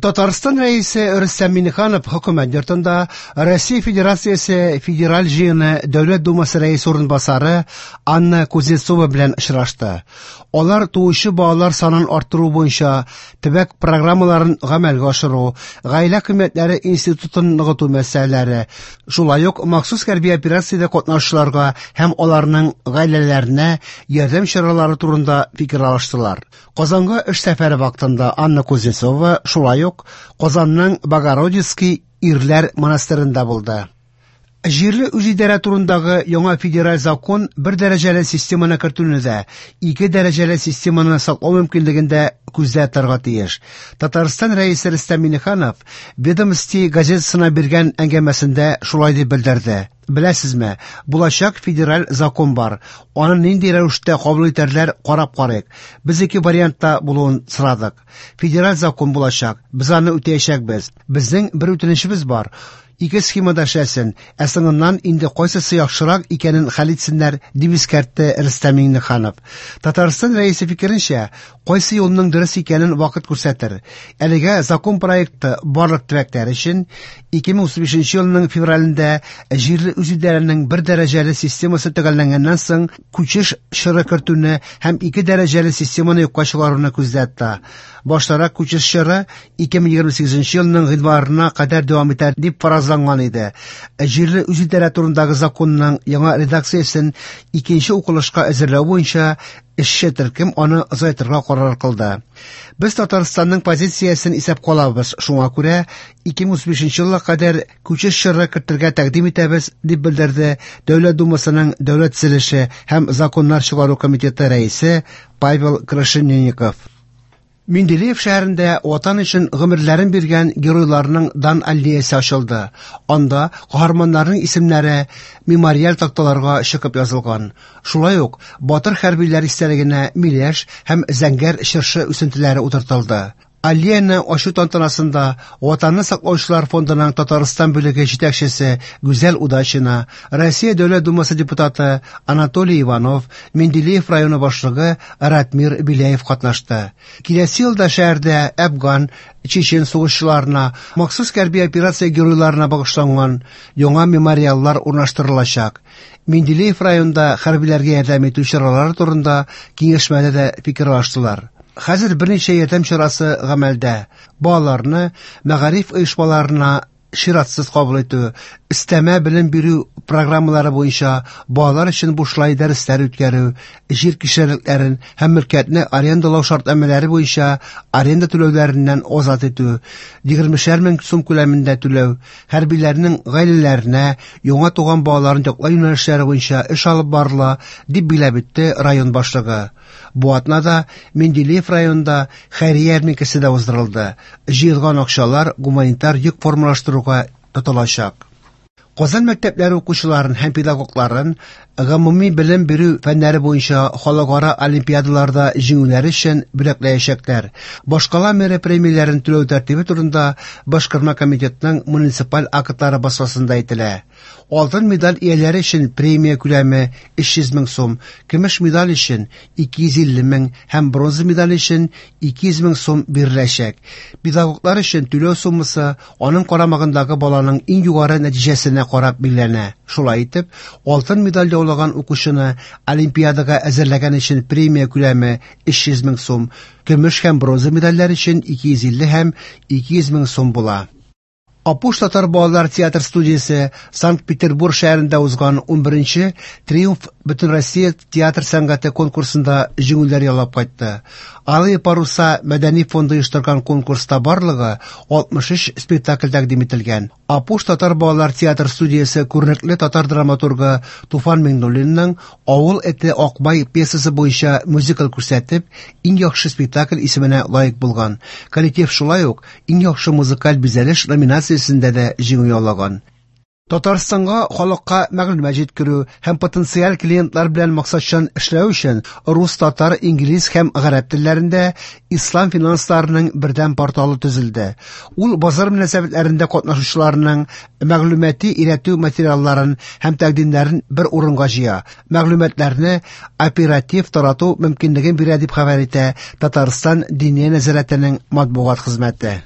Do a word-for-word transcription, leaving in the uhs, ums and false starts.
Татарстан Рәисе Рөстәм Миңнеханов Хөкүмәт йортында Россия Федерациясе Федераль Җыены Дәүләт Думасы Рәисе урынбасары Анна Кузнецова белән очрашты. Алар туучы балалар санын арттыру буенча төбәк программаларын гамәлгә ашыру, гаилә кыйммәтләре институтын ныгыту мәсьәләләре, шулай ук махсус хәрби операциядә катнашучыларга һәм аларның гаиләләренә ярдәм чаралары турында фикер алыштылар. Казанга эш сәфәре вакытында Анна Кузнецова шулай ук Казанның Богородицкий ирләр монастыренда булды. Җирле үзидарә турындагы яңа федераль закон бер дәрәҗәле системаны кертүне дә, ике дәрәҗәле системаны саклау мөмкинлеген дә күздә тотарга тиеш. Татарстан Рәисе Рөстәм Миңнеханов «Ведомости» газетасына биргән әңгәмәсендә шулай дип белдерде. Беләсезме, булачак федераль закон бар. Аны нинди рәвештә кабул итәрләр, карап карыйк. Без ике вариантта булуын сорадык. Федераль закон булачак. Без аны үтәячәкбез. Безнең бер үтенечебез бар. Ике схемада эшләсен, ә соңыннан инде кайсысы яхшырак икәнен хәл итсеннәр, дип искәртте Рөстәм Миңнеханов. Татарстан Рәисе фикеренчә, кайсы юлның дөрес икәнен вакыт күрсәтер. Әлегә закон проекты барлык төбәкләр өчен ике мең утыз бишенче елның февралендә җирле үзидарәнең бер дәрәҗәле системасы төгәлләнгәннән соң күчеш чоры кертүне һәм ике дәрәҗәле системаны юкка чыгаруны күздә тота. Баштарак күчеш чоры ике мең егерме сигезенче елның гыйнварына кадәр дәвам итәр дип фаразланган иде. Җирле үзидарә турындагы законның яңа редакциясен икенче укылышка әзерләү буенча эшче төркем аны озайтырга карар кылды. Без Татарстанның позициясен исәпкә алабыз, шуңа күрә ике мең утыз бишенче елга кадәр күчеш чоры кертергә тәкъдим итәбез, дип белдерде Дәүләт Думасының Дәүләт төзелеше һәм законнар чыгару комитеты рәисе Павел Крашенинников. Менделеев шәһәрендә Ватан өчен гомерләрен биргән геройларның дан аллеясы ачылды. Анда каһарманнарның исемнәре мемориаль такталарга чыгып язылган. Шулай ук батыр хәрбиләр истәлегенә миләш һәм зәңгәр чыршы үсентеләре утыртылды. Аллеяны ачу тантанасында Ватанны саклаучылар фондының Татарстан бүлеге җитәкчесе Гүзәл Удачина, Россия Дәүләт Думасы депутаты Анатолий Иванов, Менделеев районы башлыгы Ратмир Беляев катнашты. Киләсе елда шәһәрдә Әфган, Чечен сугышчыларына, махсус хәрби операция геройларына багышланган яңа мемориаллар урнаштырылачак. Менделеев районында хәрбиләргә ярдәм итү чаралары турында киңәшмәдә дә фикер алыштылар. Хәзер берничә ярдәм чарасы гамәлдә. Балаларны мәгариф оешмаларына чиратсыз кабул итү, өстәмә белем бирү программалары буенча балалар өчен бушлай дәресләр үткәрү, җир кишәрлекләрен һәм мөлкәтне арендалау шартнамәләре буенча аренда түләүләреннән азат итү, егермешәр мең сум күләмендә түләү, хәрбиләрнең гаиләләренә яңа туган балаларын яклау юнәлешләре буенча эш алып барыла, дип билгеләп үтте район башлыгы. Бу атнада Менделеев районында хәйрия ярминкәсе дә уздырылды. Җыелган акчалар гуманитар йөк формалаштыруга тотылачак. Казан мәктәпләре укучыларын һәм педагогларын гомуми белем бирү фәннәре буенча халыкара олимпиадаларда җиңүләре өчен бүләкләячәкләр. Башкала мэры премияләрен түләү тәртибе турында Башкарма комитетның муниципаль актлары басмасында әйтелә. Алтын медаль ияләре өчен премия күләме өч йөз мең сум, көмеш медаль өчен ике йөз илле мең һәм бронза медаль өчен ике йөз мең сум биреләчәк. Педагоглар өчен түләү суммасы аның карамагындагы баланың иң югары нәтиҗәсенә карап билгеләнә. Шулай итеп, алтын медаль яулаган укучыны олимпиадага әзерләгән өчен премия күләме өч йөз мең сум, көмеш һәм бронза медальләр өчен ике йөз илле һәм ике йөз мең сум була. Апуш татар балалар театр студиясе Санкт-Петербург шәһәрендә узган унберенче Триумф Бөтенроссия театр сәнгате конкурсында җиңүләр яулап кайтты. Алые паруса мәдәни фонды оештырган конкурста барлыгы алтмыш өч спектакль тәкъдим ителгән. Апуш татар балалар театр студиясе күренекле татар драматургы Туфан Миңнуллинның Авыл эте Акбай пьесасы буенча мюзикл күрсәтеп, иң яхшы спектакль исеменә лаек булган. Коллектив шулай ук иң яхшы музыкаль бизәлеш номинациясендә дә җиңү яулаган. Татарстанга халыкка мәгълүмат җиткерү һәм потенциаль клиентлар белән максатчан эшләү өчен рус, татар, инглиз һәм гарәп телләрендә ислам финансларының бердәм порталы төзелде. Ул базар мөнәсәбәтләрендә катнашучыларның мәгълүмати өйрәтү материалларын һәм тәкъдимнәрен бер урынга җыя. Мәгълүматларны оператив тарату мөмкинлеген бирә дип хәбәр итә Татарстан Диния нәзарәтенең матбугат хезмәте.